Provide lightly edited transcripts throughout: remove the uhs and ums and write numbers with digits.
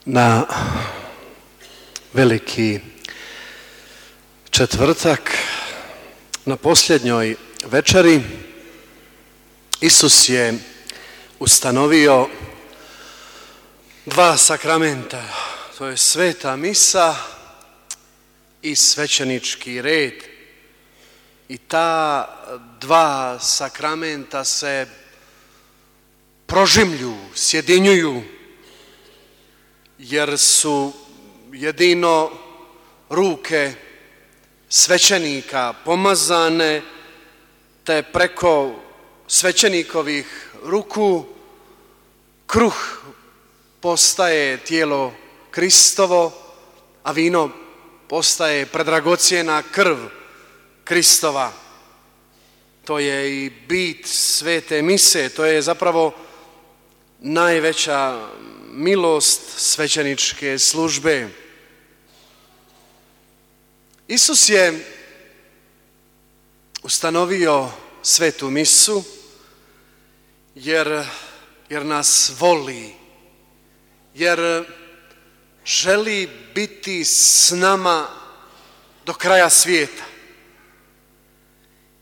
Na veliki četvrtak, na posljednjoj večeri, Isus je ustanovio dva sakramenta, to je sveta misa i svećenički red. I ta dva sakramenta se prožimlju, sjedinjuju, jer su jedino ruke svećenika pomazane, te preko svećenikovih ruku kruh postaje tijelo Kristovo, a vino postaje predragocjena krv Kristova. To je i bit svete mise, to je zapravo najveća milost svećeničke službe. Isus je ustanovio svetu misu jer nas voli, jer želi biti s nama do kraja svijeta.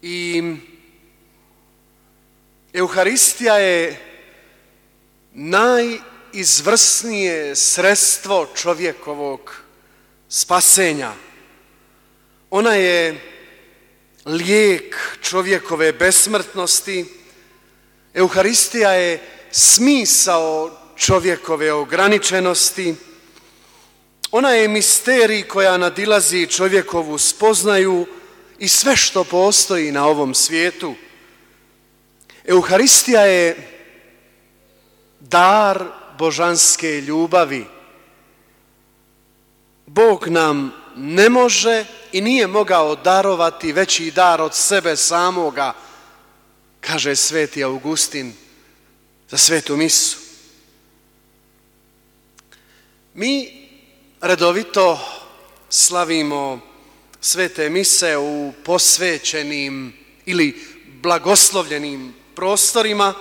I Euharistija je najizvrsnije sredstvo čovjekovog spasenja. Ona je lijek čovjekove besmrtnosti. Euharistija je smisao čovjekove ograničenosti. Ona je misterij koja nadilazi čovjekovu spoznaju i sve što postoji na ovom svijetu. Euharistija je dar božanske ljubavi. Bog nam ne može i nije mogao darovati veći dar od sebe samoga, kaže sveti Augustin za svetu misu. Mi redovito slavimo svete mise u posvećenim ili blagoslovljenim prostorima.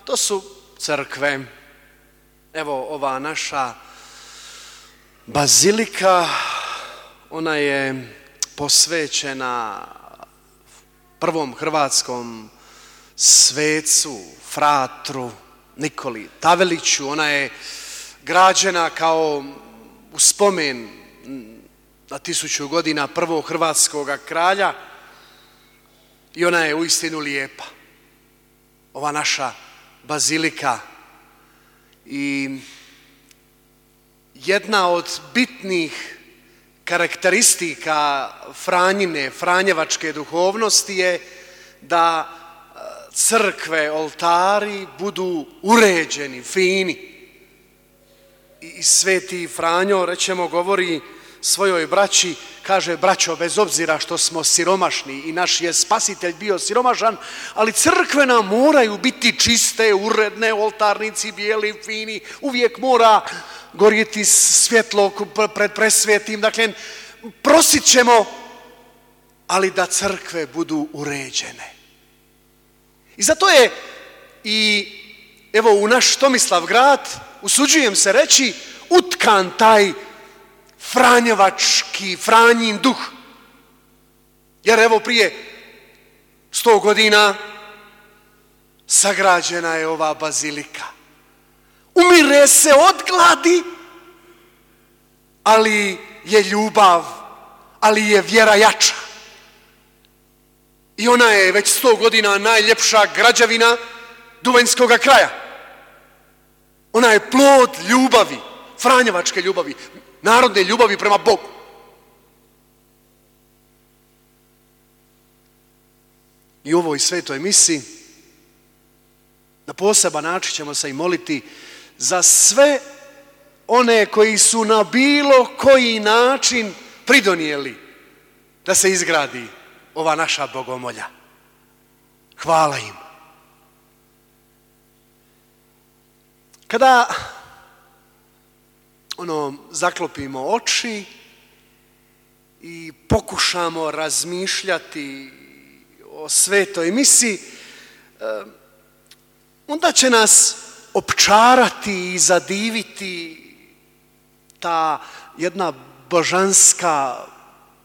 To su crkve. Evo ova naša bazilika, ona je posvećena prvom hrvatskom svecu, fratru Nikoli Taveliću. Ona je građena kao u spomen na 1000 godina prvog hrvatskog kralja i ona je uistinu lijepa. Ova naša bazilika. I jedna od bitnih karakteristika franjevačke duhovnosti je da crkve, oltari budu uređeni, fini. I sveti Franjo, rečemo, govori svojoj braći, kaže: braćo, bez obzira što smo siromašni i naš je spasitelj bio siromašan, ali crkve nam moraju biti čiste, uredne, oltarnici bijeli, fini, uvijek mora gorjeti svjetlo pred presvetim. Dakle, prosit ćemo, ali da crkve budu uređene. I zato je i evo u naš Tomislavgrad, usuđujem se reći, utkan taj franjevački, Franjin duh. Jer evo prije 100 godina sagrađena je ova bazilika. Umire se od gladi, ali je ljubav, ali je vjera jača. I ona je već 100 godina najljepša građevina Duvanjskog kraja. Ona je plod ljubavi, franjevačke ljubavi, narodne ljubavi prema Bogu. I u ovoj svetoj misi na poseban način ćemo se i moliti za sve one koji su na bilo koji način pridonijeli da se izgradi ova naša bogomolja. Hvala im. Kada zaklopimo oči i pokušamo razmišljati o svetoj misi, onda će nas opčarati i zadiviti ta jedna božanska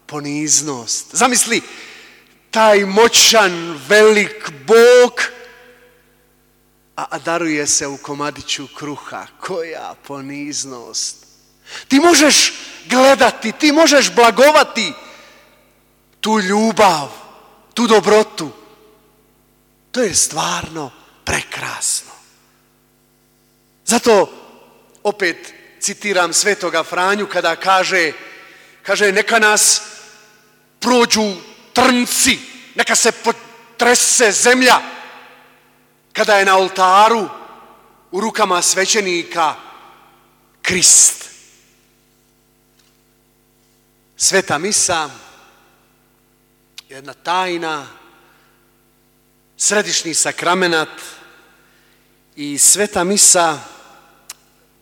poniznost. Zamisli, taj moćan, velik Bog, a daruje se u komadiću kruha. Koja poniznost. Ti možeš gledati, ti možeš blagovati tu ljubav, tu dobrotu. To je stvarno prekrasno. Zato opet citiram Svetoga Franju kada kaže neka nas prođu trnci, neka se potrese zemlja kada je na oltaru u rukama svećenika Krist. Sveta misa, jedna tajna, središnji sakramenat i sveta misa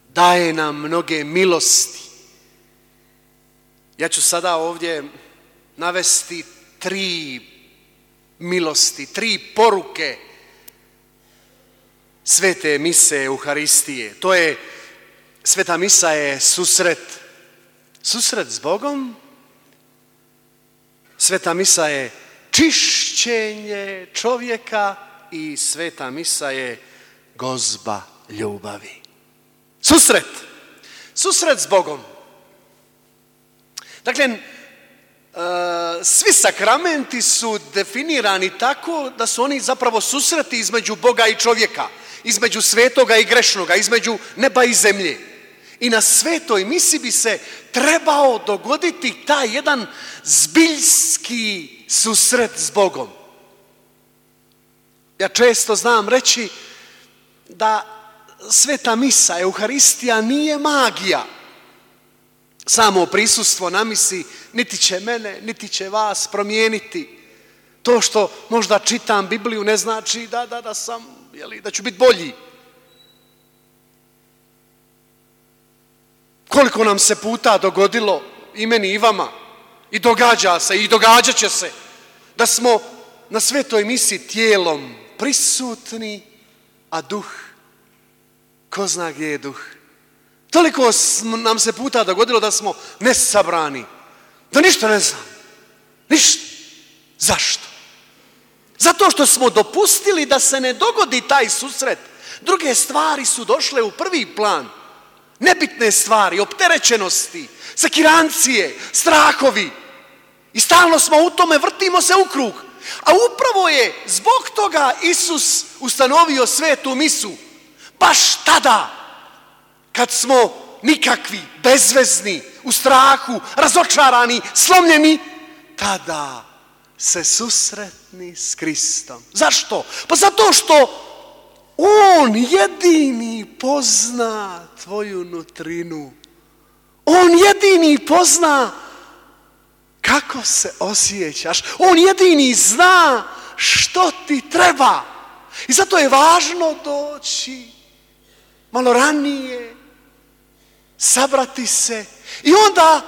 daje nam mnoge milosti. Ja ću sada ovdje navesti 3 milosti, 3 poruke svete mise Euharistije. To je, sveta misa je susret s Bogom, sveta misa je čišćenje čovjeka i sveta misa je gozba ljubavi. Susret s Bogom. Dakle, svi sakramenti su definirani tako da su oni zapravo susreti između Boga i čovjeka, između svetoga i grešnoga, između neba i zemlje. I na svetoj misi bi se trebao dogoditi taj jedan zbiljski susret s Bogom. Ja često znam reći da sveta misa, Euharistija nije magija. Samo prisustvo na misi niti će mene, niti će vas promijeniti. To što možda čitam Bibliju ne znači da sam, da ću biti bolji. Koliko nam se puta dogodilo, i meni i vama, i događa se, i događat će se, da smo na svetoj misi tijelom prisutni, a duh, ko zna gdje je duh. Toliko nam se puta dogodilo da smo nesabrani, da ništa ne znam. Ništa. Zašto? Zato što smo dopustili da se ne dogodi taj susret. Druge stvari su došle u prvi plan. Nebitne stvari, opterećenosti, sekirancije, strahovi. I stalno smo u tome, vrtimo se u krug. A upravo je zbog toga Isus ustanovio svetu misu. Baš tada, kad smo nikakvi, bezvezni, u strahu, razočarani, slomljeni, tada se susretni s Kristom. Zašto? Pa zato što On jedini pozna tvoju nutrinu. On jedini pozna kako se osjećaš. On jedini zna što ti treba. I zato je važno doći malo ranije, sabrati se i onda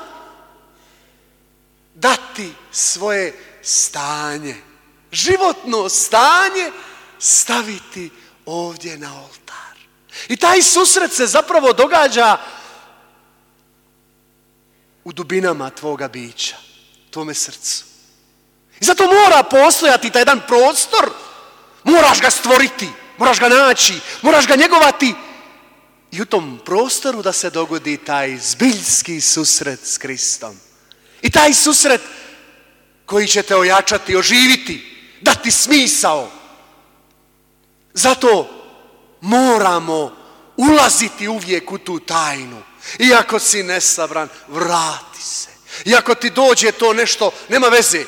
dati svoje stanje, životno stanje staviti ovdje na oltar. I taj susret se zapravo događa u dubinama tvoga bića, tvome srcu. I zato mora postojati taj jedan prostor, moraš ga stvoriti, moraš ga naći, moraš ga njegovati i u tom prostoru da se dogodi taj zbiljski susret s Kristom. I taj susret koji će te ojačati, oživiti, dati smisao. Zato moramo ulaziti uvijek u tu tajnu. Iako si nesabran, vrati se. Iako ti dođe to nešto, nema veze.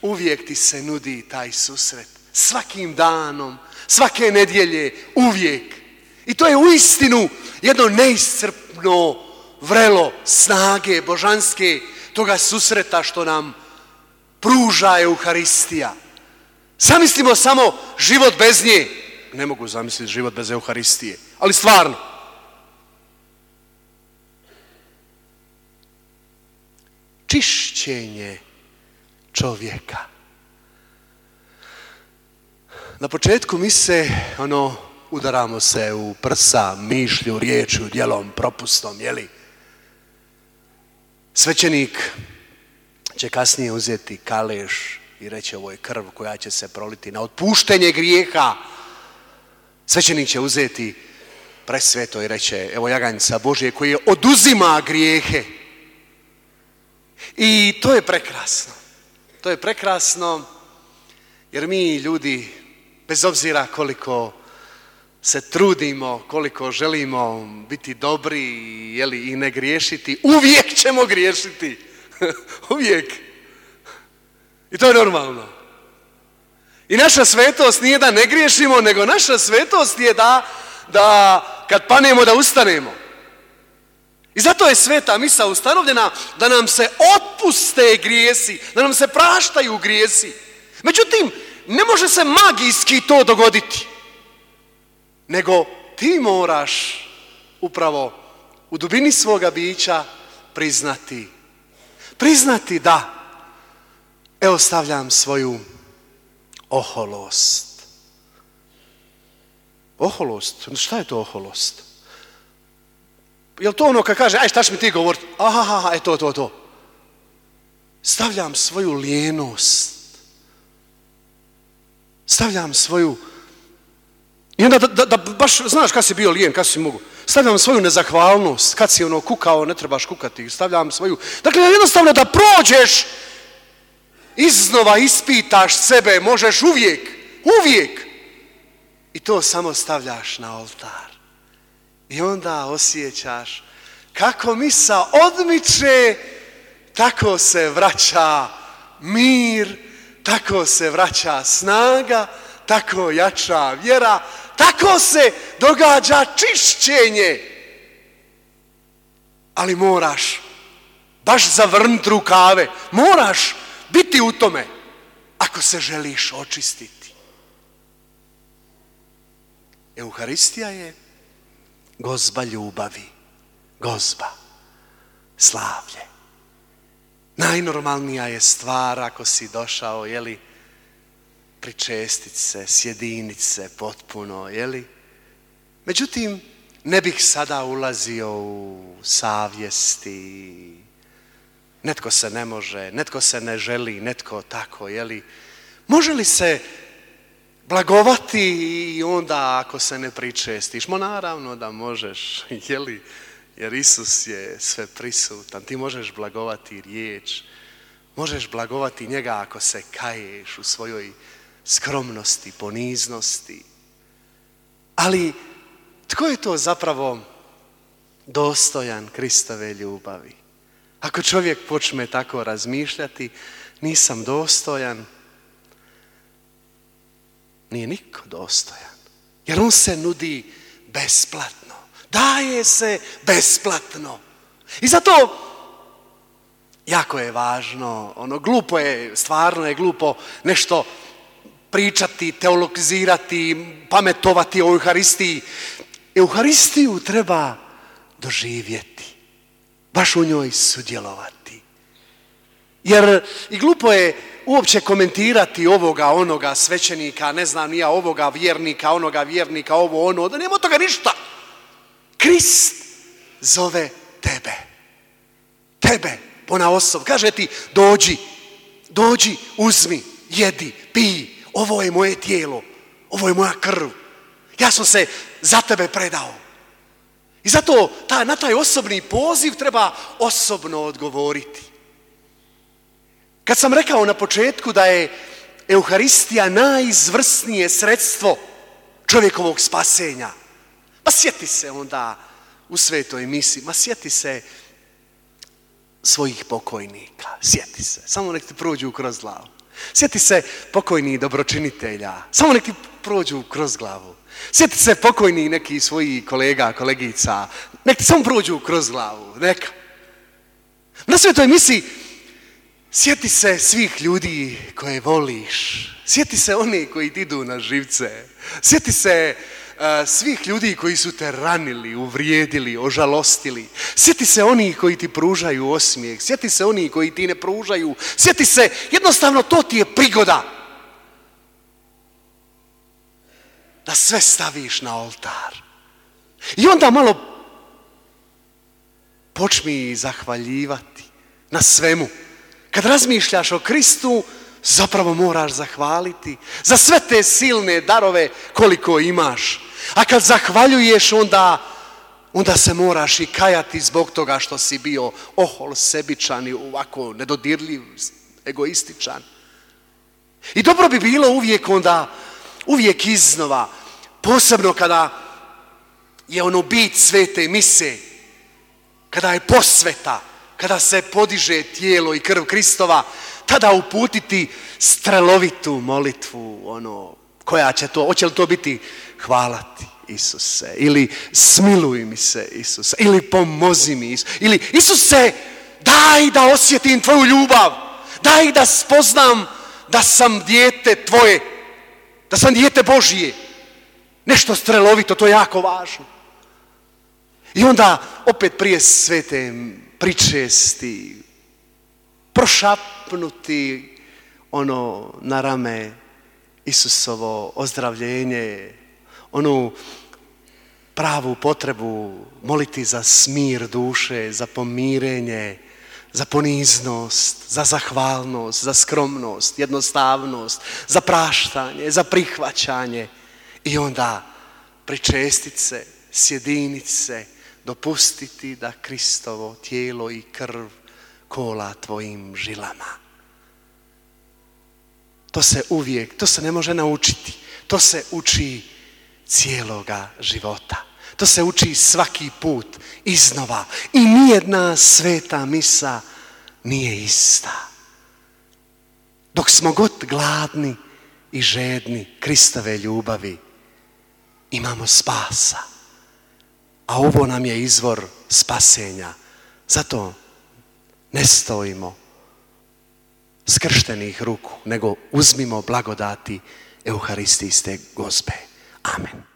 Uvijek ti se nudi taj susret. Svakim danom, svake nedjelje, uvijek. I to je uistinu jedno neiscrpno vrelo snage božanske toga susreta što nam pruža Euharistija. Zamislimo samo život bez nje. Ne mogu zamisliti život bez Euharistije, ali stvarno. Čišćenje čovjeka. Na početku mise, udaramo se u prsa, mišlju, riječju, djelom, propustom, Svećenik će kasnije uzeti kaleš i reći ovo je krv koja će se proliti na otpuštenje grijeha. Svećenik će uzeti presveto i reće evo jaganjca Božje koji oduzima grijehe. I to je prekrasno. To je prekrasno jer mi ljudi, bez obzira koliko se trudimo, koliko želimo biti dobri i ne griješiti, uvijek ćemo griješiti. Uvijek. I to je normalno. I naša svetost nije da ne griješimo, nego naša svetost je da kad panemo da ustanemo. I zato je sveta misa ustanovljena da nam se otpuste grijesi, da nam se praštaju grijesi. Međutim, ne može se magijski to dogoditi. Nego ti moraš upravo u dubini svoga bića priznati da evo stavljam svoju oholost. Oholost? Šta je to oholost? Je li to ono kad kaže aj šta će mi ti govoriti? Aha, to. Stavljam svoju lijenost. Stavljam svoju... I onda da baš znaš kad si bio lijen, kad si mogu. Stavljam svoju nezahvalnost, kad si kukao, ne trebaš kukati. Stavljam svoju... Dakle, jednostavno da prođeš, iznova ispitaš sebe, možeš uvijek. I to samo stavljaš na oltar. I onda osjećaš kako misa odmiče, tako se vraća mir, tako se vraća snaga, tako jača vjera, tako se događa čišćenje. Ali moraš baš zavrnuti rukave, moraš biti u tome ako se želiš očistiti. Euharistija je gozba ljubavi, gozba, slavlje. Najnormalnija je stvar ako si došao, pričestit se, sjedinit se potpuno, Međutim, ne bih sada ulazio u savjesti. Netko se ne može, netko se ne želi, netko tako, Može li se blagovati i onda ako se ne pričestiš? Naravno da možeš, jer Isus je sve prisutan. Ti možeš blagovati riječ, možeš blagovati njega ako se kaješ u svojoj skromnosti, poniznosti. Ali tko je to zapravo dostojan Kristove ljubavi? Ako čovjek počne tako razmišljati, nisam dostojan, nije niko dostojan. Jer on se nudi besplatno. Daje se besplatno. I zato jako je važno, glupo je, stvarno je glupo nešto pričati, teologizirati, pametovati o Euharistiji. Euharistiju treba doživjeti, baš u njoj sudjelovati. Jer i glupo je uopće komentirati ovoga, onoga svećenika, ne znam ni ja, ovoga vjernika, onoga vjernika, ovo, ono, da nema od toga ništa. Krist zove tebe, ponaosob. Kaže ti, dođi, uzmi, jedi, pij, ovo je moje tijelo, ovo je moja krv. Ja sam se za tebe predao. I zato na taj osobni poziv treba osobno odgovoriti. Kad sam rekao na početku da je Euharistija najizvrsnije sredstvo čovjekovog spasenja, sjeti se onda u svetoj misi, sjeti se svojih pokojnika, sjeti se, samo nek ti prođu kroz glavu. Sjeti se pokojnih dobročinitelja, samo nek ti prođu kroz glavu. Sjeti se pokojnih nekih svojih kolega, kolegica, nek ti samo prođu kroz glavu, neka. Na svetoj misi sjeti se svih ljudi koje voliš, sjeti se oni koji ti idu na živce, sjeti se svih ljudi koji su te ranili, uvrijedili, ožalostili. Sjeti se onih koji ti pružaju osmijeh, sjeti se onih koji ti ne pružaju, sjeti se, jednostavno to ti je prigoda da sve staviš na oltar. I onda malo počmi zahvaljivati, na svemu. Kad razmišljaš o Kristu, zapravo moraš zahvaliti za sve te silne darove koliko imaš. A kad zahvaljuješ, onda se moraš i kajati zbog toga što si bio ohol, sebičan i ovako nedodirljiv, egoističan. I dobro bi bilo uvijek iznova, posebno kada je bit svete mise, kada je posveta, kada se podiže tijelo i krv Kristova, tada uputiti strelovitu molitvu, koja će to, hoće li to biti hvala ti Isuse, ili smiluj mi se Isuse, ili pomozi mi Isuse, ili Isuse daj da osjetim tvoju ljubav, daj da spoznam da sam dijete tvoje, da sam dijete Božije. Nešto strelovito, to je jako važno. I onda opet prije svete pričesti, prošapnuti na rame Isusovo ozdravljenje, onu pravu potrebu moliti za smir duše, za pomirenje, za poniznost, za zahvalnost, za skromnost, jednostavnost, za praštanje, za prihvaćanje. I onda pričestit se, sjedinit se, dopustiti da Kristovo tijelo i krv kola tvojim žilama. To se ne može naučiti. To se uči cijeloga života. To se uči svaki put iznova. I nijedna sveta misa nije ista. Dok smo god gladni i žedni Kristove ljubavi, imamo spasa. A ovo nam je izvor spasenja. Zato ne stojimo skrštenih ruku, nego uzmimo blagodati Euharistijske Gospe. Amen.